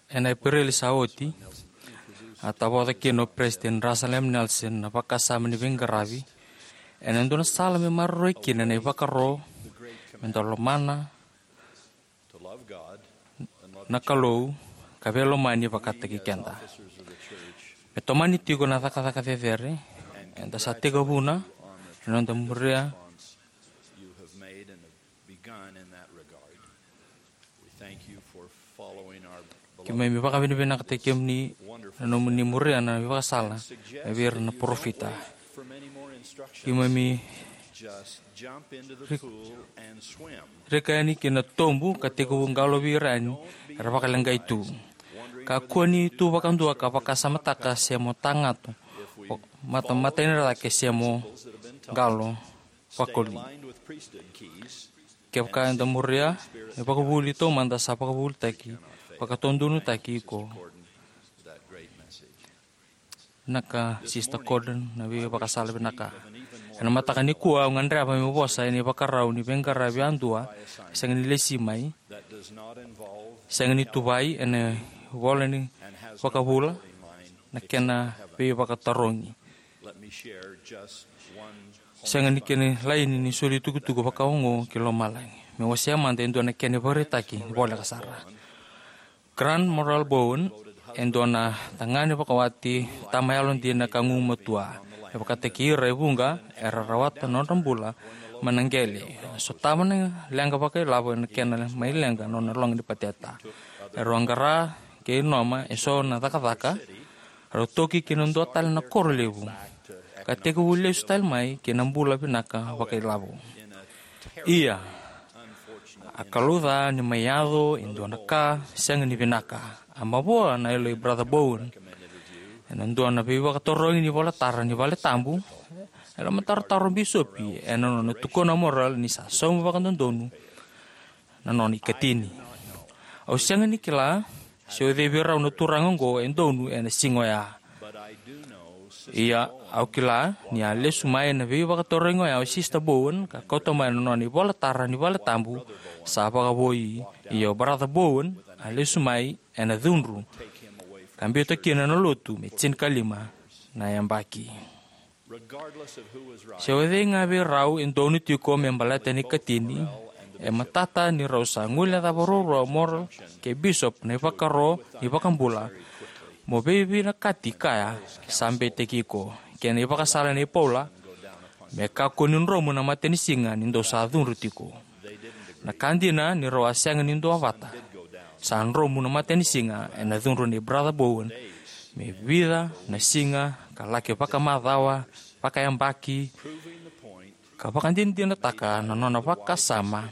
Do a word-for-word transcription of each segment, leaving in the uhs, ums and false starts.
Ena Epereli sa oti, a tavoca kina o President Russell M. Nelson na vakasama ni veiqaravi ena dua na sala me maroroi kina na ivakaro me da lomana na Kalou ka veilomani vakataki keda. Me tomani tiko na cakacaka cecere eda sa tekivuna ena noda muria. Keimami vakavinavinakataki kemuni na nomuni muria na ivakasala mai vei ira na parofita. Keimami rika yani ki na tobu ka tekivu qalovi ira yani era vakaleqai tu. Kakua ni tu vakadua ka vakasamataka se mo tagato, mata, mata ina cake se mo qalo vakoli. Kevaka eda muria e vakavuvuli taumada sa vakavuvulitaki, vakatodonutaki iko. Vinaka Sister Gordon, na veivakasala vinaka. Ena mataka nikua au gadreva meu vosa ena ivakarau ni veiqaravi yadua e sega ni lesi mai, sega ni tuvai ena ivola ni vakavula na kena veivakatarogi. Sega ni kena laini ni soli tukutuku vakaoqo ki lomalagi. Me wasea mada e dua na kena ivakaraitaki ni voleka sara. Grant Morrell Bowen e dua na tagane vakawati, tama yalodina ka gugumatua. E vakataki ira e vuqa era rawata na nodra bula mai na qele. Sotava na leqa vakailavo ena kena mai leqa na nona loga ni pateta. E rau qara kei noma eso na cakacaka, rau toki ki na dua tale na koro levu, ka tekivu lesu tale mai ki na bula vinaka vakailavo. Ia, a kalouca ni mai yaco e dua na ka sega ni vinaka. A mavoa na yalo i Brother Bowen ena dua na veivakatarogi ni volatara ni vale tabu. E lomatarotaro o bisopi ena nona tukuna o Morrell ni sa sauma vakadodonu na nona ikatini. Au sega ni kila se o cei vei rau na turaga oqo e donu ena siga oya. Ia, au kila ni a lesu mai na veivakatarogi oya o Sister Bowen ka kauta mai na nona ivolatara ni vale tabu sa vakavoui. Ia o Brother Bowen a lesu mai ena cudru ka biuta kina na lotu me tinikalima na yabaki. Se o cei ga vei rau e donu tiko me baleta na ikatini, e matata ni rau sa guilecava ruarua o Morrell kei Bishop na ivakaro ni vakabula mo veivinakati kaya sa beitaki iko, kei na ivakasala nei Paula, me kakua ni dromu na matanisiga ni dou sa cudru tiko. Na ka dina ni rau a sega ni duavata. Sa dromu na matanisiga ena cudru nei Brother Bowen me vica na siga ka laki vakamacawa, vakayabaki, ka vakadinadinataka na nona vakasama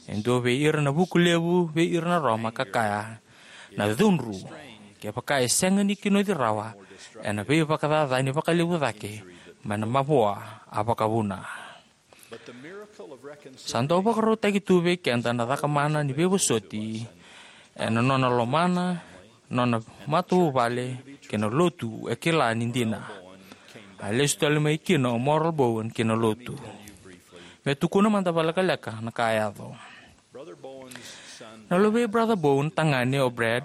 e dua vei ira na vuku levu vei ira na Roma ka kaya, na cudru, kevaka e sega ni kinoci rawa, ena veivakacacani vakalevu cake mai na mavoa a vakavuna. Sa dau vakarautaki tu vei keda na cakamana ni veivosoti ena nona lomana nona matavuvale kei na lotu e kila ni dina. A lesu tale mai kina o Morrell Bowen ki na lotu. Me tukuna mada vakalekaleka na ka a yaco. Na luvei Brother Bowen tagane o Brad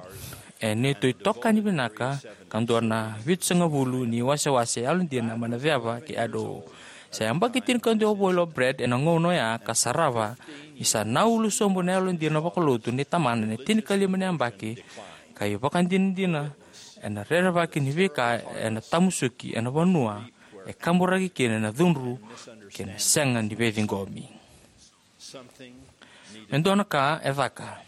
e neitou itokani vinaka ka dua na vitusagavulu ni wasewase yalodina mai na ceva kei Idaho. Sa yabaki tinikadua voli o Brad ena gauna oya ka sarava ni sa naulu sobu na yalodina vakalotu nei tamana ena tinikalima na yabaki, ka ivakadinadina ena rerevaki ni veika ena tamusuki ena vanua e kaburaki kina na cudru kei na sega ni veiciqomi. Me dua na ka e caka.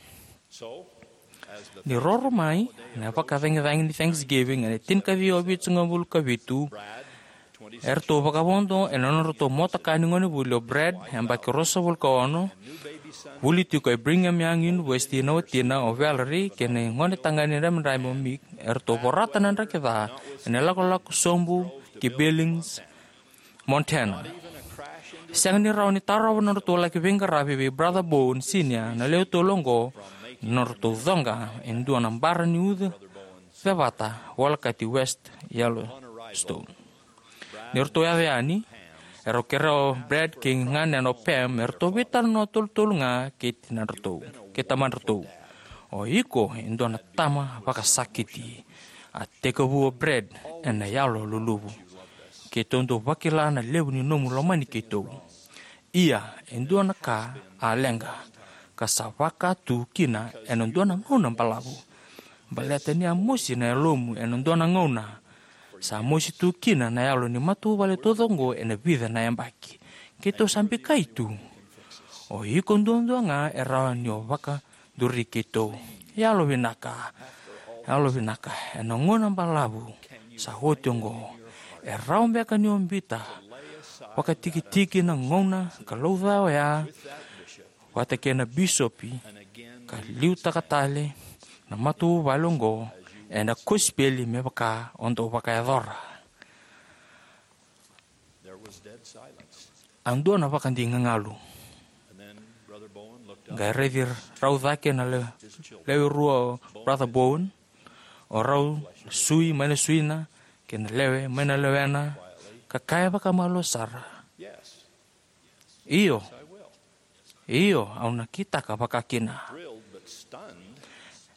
Ni roro mai na vakacagicagi ni Thanksgiving ena tinikaciwa vitusagavulu ka vitu, eratou vakavodo ena nodratou motoka ni gonevuli o Brad, yabaki ruasagavulu ka ono, vuli tiko e Brigham Young University, na watina o Valerie kei na gone tagane dramidrami o Mick, eratou vorata na draki ca ena lakolako sobu ki Billings, Montana. Sega ni rawa ni tarova na nodratou laki veiqaravi vei Brother Bowen Senior na lewe tolu oqo, na nodratou coqa e dua na bara ni uca cevata volekati West Yellowstone. Ni ratou yaco yani, Erau kerea o Brad kei ganena o Pam me ratou veitalanoa tolutolu ga kei tinadratou, kei tamadratou. O iko e dua na tama vakasakiti. A tekivu o Brad ena yalo luluvu. Keitou dau vakila na levu ni nomu lomani keitou. Ia, e dua na ka a leqa, ka sa vaka tu kina ena dua na gauna balavu. Baleta ni a mosi na yalomu ena dua na gauna, sa mosi tu kina na yalo ni matavuvale taucoko oqo ena vica na yabaki. Keitou sa bikai tu. O iko duadua ga e rawa ni o vakaduri keitou. Yalo vinaka, yalo vinaka, ena gauna balavu sa oti oqo, e rawa beka ni o biuta vakatikitiki na gauna ka lauca oya vata kei na bisopi, ka liutaka tale na matavuvale oqo ena kosipeli me vaka o dau vakayacora? A dua na vakadigalu. Qai raici rau cake na le-, lewe rua o Brother Bowen, o rau na sui mai na suina kei na lewe mai na lewena, ka kaya vakamalua sara, "Io, io, au na kitaka vakakina."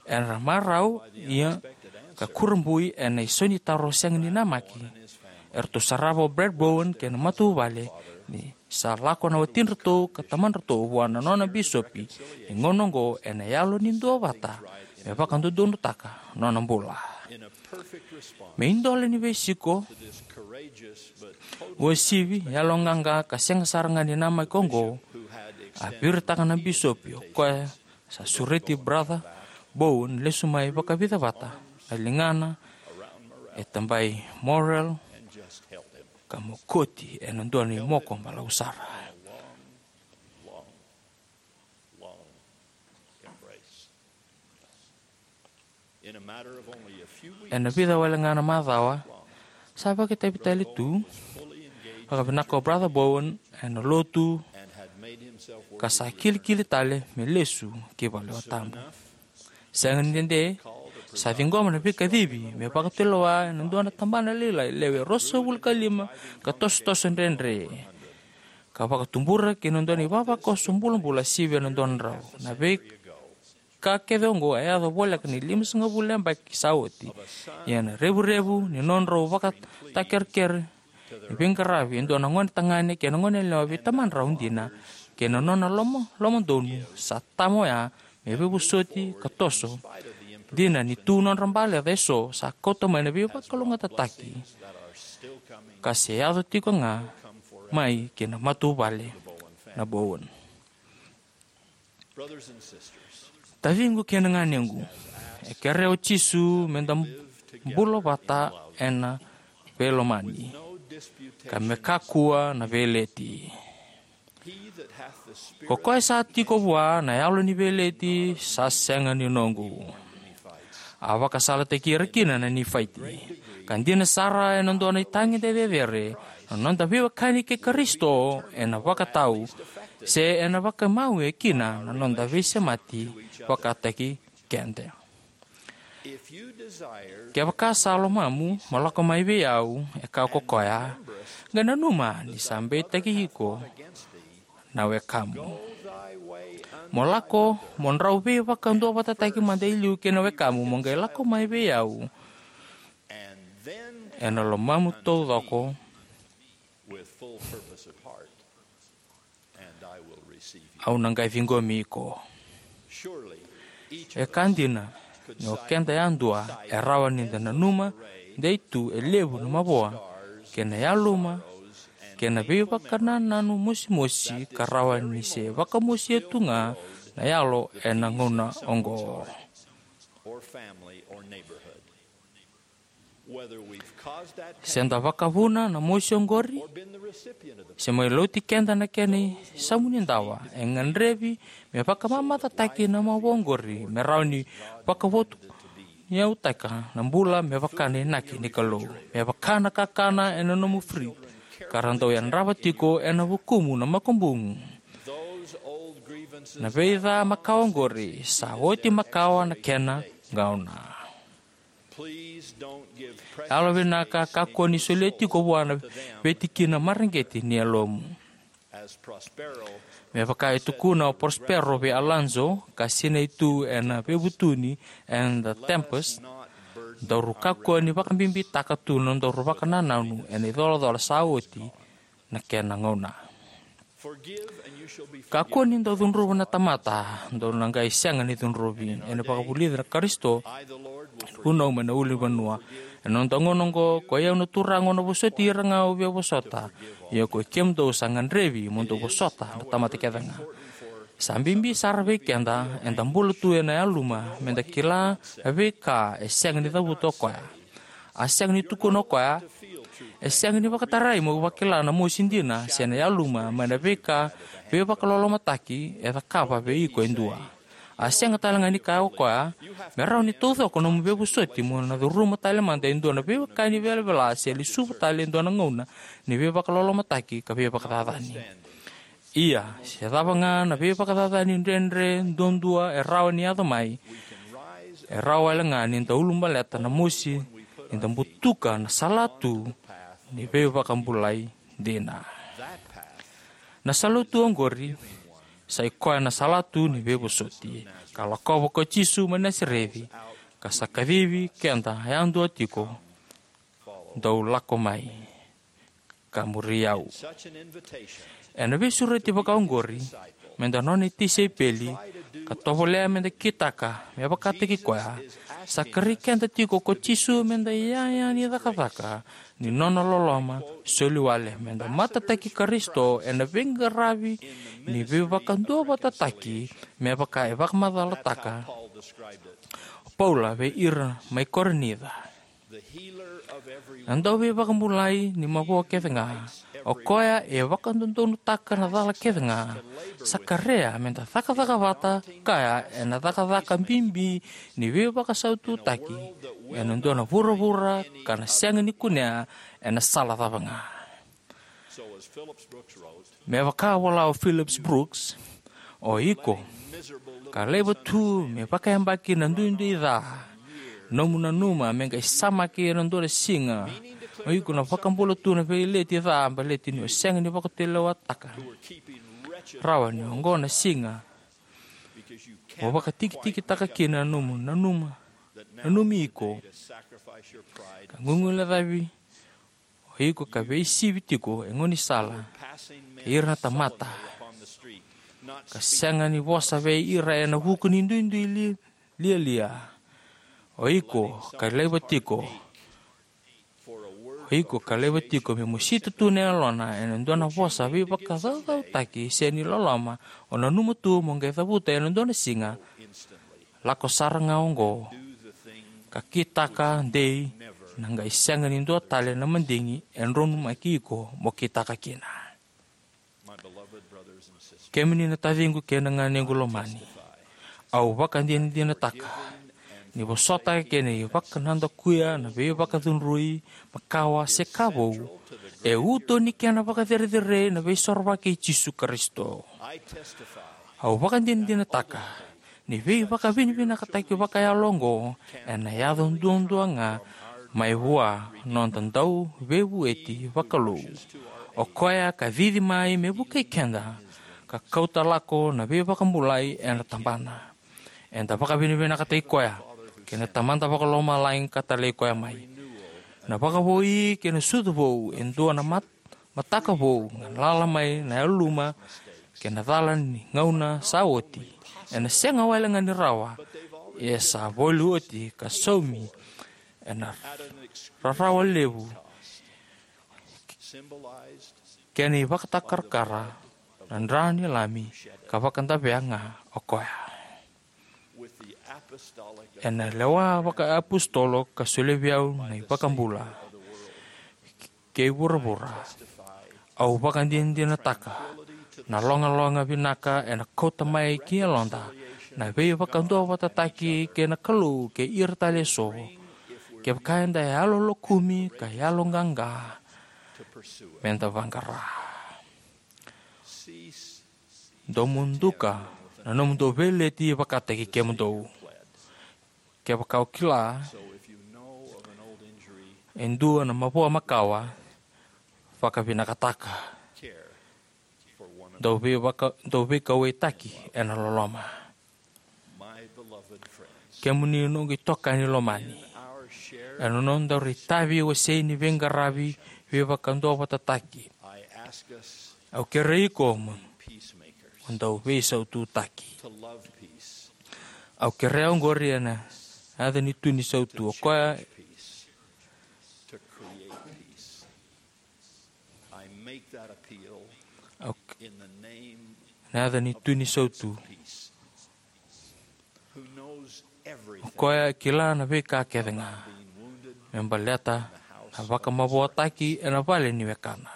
Era marau, ia, ka kurabui ena isau ni taro sega ni namaki. Eratou sarava o Brad Bowen kei na matavuvale ni sa lako na watidratou ka tamadratou vua na nona bisopi ni gauna oqo ena yalo ni duavata me vakadodonutaka nona bula. Me idola ni veisiko uasivi, yaloqaqa, ka sega sara ga ni namaki oqo, a viritaka na bisopi, o koya sa sureti Brother Bowen lesu mai vakavica vata, na ligana e tabai Morrell, ka mokoti ena dua na imoko balavu sara. Ena vica wale ga na macawa, sa vakaitavi tale tu vakavinaka o Brother Bowen ena lotu, ka sa kilikili tale me lesu ki valetabu. Sega ni dede, sa ciqoma na veikacivi me vakatulewa ena dua na tabana lailai, lewe ruasagavulu ka lima, ka tosotoso dredre, ka vakatubura ki na dua na ivavakoso bulabula sivia na dua na drau. Na veika kece oqo a yaco voleka ni limasagavulu na yabaki sa oti. Ia na revurevu ni nodrau vakatakerekere ni veiqaravi e dua na gone tagane kei na gone yalewa vei tamadrau dina kei na nona loma, lomadonu sa tama oya me veivosoti ka toso. Dina ni tu nodra baleca eso, sa kauta mai na veivakalougatataki ka se yaco tiko ga mai ki na matavuvale na Bowen. Taciqu kei na ganequ, e kerea o Jisu me da bula vata ena veilomani, ka me kakua na veileti. Ko koya sa tiko vua na yalo ni veileti sa sega ni noqu. A vakasalataki ira kina na Nifaiti. Ka dina sara ena dua na itagede cecere, na noda veiwekani kei Karisito ena vakatau, se ena vakamawe kina na noda veisemati vakataki keda. Kevaka sa lomamu, mo lako mai vei au, e kaya ko koya, qai nanuma ni sa beitaki iko na wekamu. Mo lako, mo drau veivakaduavatataki mada e liu kei na wekamu, mo qai lako mai vei au ena lomamu taucoko. Au na qai ciqomi iko. E ka dina ni o keda yadua e rawa ni da nanuma dei tu e levu na mavoa kei na yaluma kei na veivakanananu mosimosi ka rawa ni se vakamosia tu ga na yalo ena gauna oqo. Se da vakavuna na mosi oqori, se mai lauti keda na kena isamunidawa, e gadrevi me vakamamacataki na mavoa oqori me rawa ni vakavotuyautaka na bula me vaka na inaki ni Kalou, me vaka na kakana ena nomu fridge ka ra dau yadrava tiko ena vukumu na makubuqu. Na veica makawa oqori sa oti makawa na kena gauna. Yalo vinaka, kakua ni solia tiko vua na veitikina mareqeti ni yalomu. Me vaka e tukuna o Prospero vei Alonso, ka sinai tu ena veivutuni ena The Tempest, daru kakua ni vakabibitaka tu na nodaru vakanananu ena icolacola sa oti na kena gauna. Kakua ni dau cudruva na tamata, dou na qai sega ni cudruvi, ena vakavulici na Karisito, vunau mai na ulunivanua. Ena noda gauna oqo, koi au na Turaga au na vosoti ira ga au via vosota, ia koi kemudou sa gadrevi mo dou vosota na tamata kece ga. Sa bibi sara vei keda, eda bula tu ena yaluma, meda kila na veika e sega ni cavuta o koya. A sega ni tukuna o koya, e sega ni vakatarai mo vakila na mosi dina se na yaluma mai na veika veivakalolomataki e cakava vei iko e dua. A sega tale ga ni kaya o koya, me rawa ni taucoko nomu veivosoti mo na curuma tale mada e dua na veiwekani velavela se lesuva tale e dua na gauna ni veivakalolomataki ka veivakacacani. Ia, se cava ga na veivakacacani dredre duadua e rawa ni yaco mai, e rawa wale ga ni da ulubaleta na mosi ni da butuka na salatu ni veivakabulai dina. Na salatu oqori sa i koya na salatu ni veivosoti, ka lakova ko Jisu mai Nasareci, ka sa kacivi keda yadua tiko, dou lako mai ka muri au. Ena veisureti vakaoqori, meda nona itisaipeli, ka tovolea meda kitaka me vakataki koya, sa kerei keda tiko ko Jisu meda iyaya ni cakacaka ni nona loloma soli wale, meda matataki Karisito ena veiqaravi ni veivakaduavatataki, me vaka e vakamacalataka o Paula vei ira mai Korinica. Na dauveivakabulai ni mavoa kece ga, o koya e vakadodonutaka na cala kece ga, sa kerea meda cakacaka vata kaya ena cakacaka bibi ni veivakasaututaki ena dua na vuravura ka na sega ni kunea ena sala cava ga. Me vaka vola o Phillips Brooks, o iko ka laiva tu me vakayabaki na duidui ca, nomu nanuma me qai samaki ena dua na siga, o iko na vakabula tu na veileti ca baleti ni o sega ni vakatulewataka rawa ni oqo na siga mo vakatikitikitaka kina na nomu nanuma, nanumi iko ka gugulecavi o iko ka veisivi tiko e gaunisala kei ira na tamata, ka sega ni vosa vei ira ena vuku ni duidui li-, lialia. O iko ka laiva tiko, o iko ka laiva tiko me mosita tu na yalona ena dua na vosa veivakacaucautaki se ni loloma, o nanuma tu mo qai cavuta ena dua na siga, lako sara ga oqo ka kitaka dei, na qai sega ni dua tale na madigi e donumaki iko mo kitaka kina. Kemuni na taciqu kei na ganequ lomani, au vakadinadinataka ni vosota kei na ivakanadakuya na veivakacudrui makawa se ka vou, e uto ni kena vakacerecerei na Veisorovaki i Jisu Karisito. Au vakadinadinataka ni veivakavinavinakataki vakayalo oqo ena yaco duadua ga mai vua noda Dauveivueti vakalou. O koya ka cici mai me vukei keda ka kauta lako na veivakabulai ena tabana. Eda vakavinavinakataki koya kei na Tamada Vakalomalagi ka talai koya mai na vakavoui kei na sucu vou e dua na mat-, mataka vou, galala mai na yaluma kei na cala ni gauna sa oti. Ena sega wale ga ni rawa, ia sa voli oti ka saumi ena rarawa levu kei na ivakatakarakara na dra ni Lami, ka vakadavea ga o koya. Ena lewa vakaapositolo ka solia vei au na iVakabula kei vuravura, au vakadinadinataka na logaloga vinaka ena kauta mai ki yaloda na veivakaduavatataki kei na Kalou kei ira tale eso, kevaka eda yalolokumi ka yaloqaqa meda vaqara. Dou muduka na nomudou veileti vakataki kemudou. Kevaka o kila E dua na mavoa makawa, vakavinakataka. Dau veivaka-, dau veikauwaitaki ena loloma. Kemuni noqu itokani lomani, ena noda itavi wasei ni veiqaravi veivakaduavatataki, au kerei iko mo dau veisaututaki. Au kerea oqori ena yaca ni tu ni sautu, o koya au, na yaca ni tu ni sautu, o koya e kila na veika kece ga, me baleta na vakamavoataki ena vale ni wekana.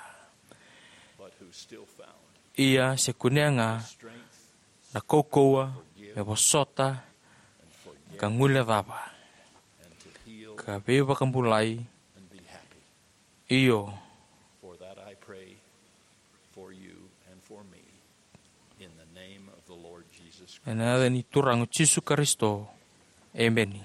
Ia se kunea ga na kaukauwa me vosota, ka guilecava, ka veivakabulai. Io, ena yaca ni Turaga Jisu Karisito, emeni.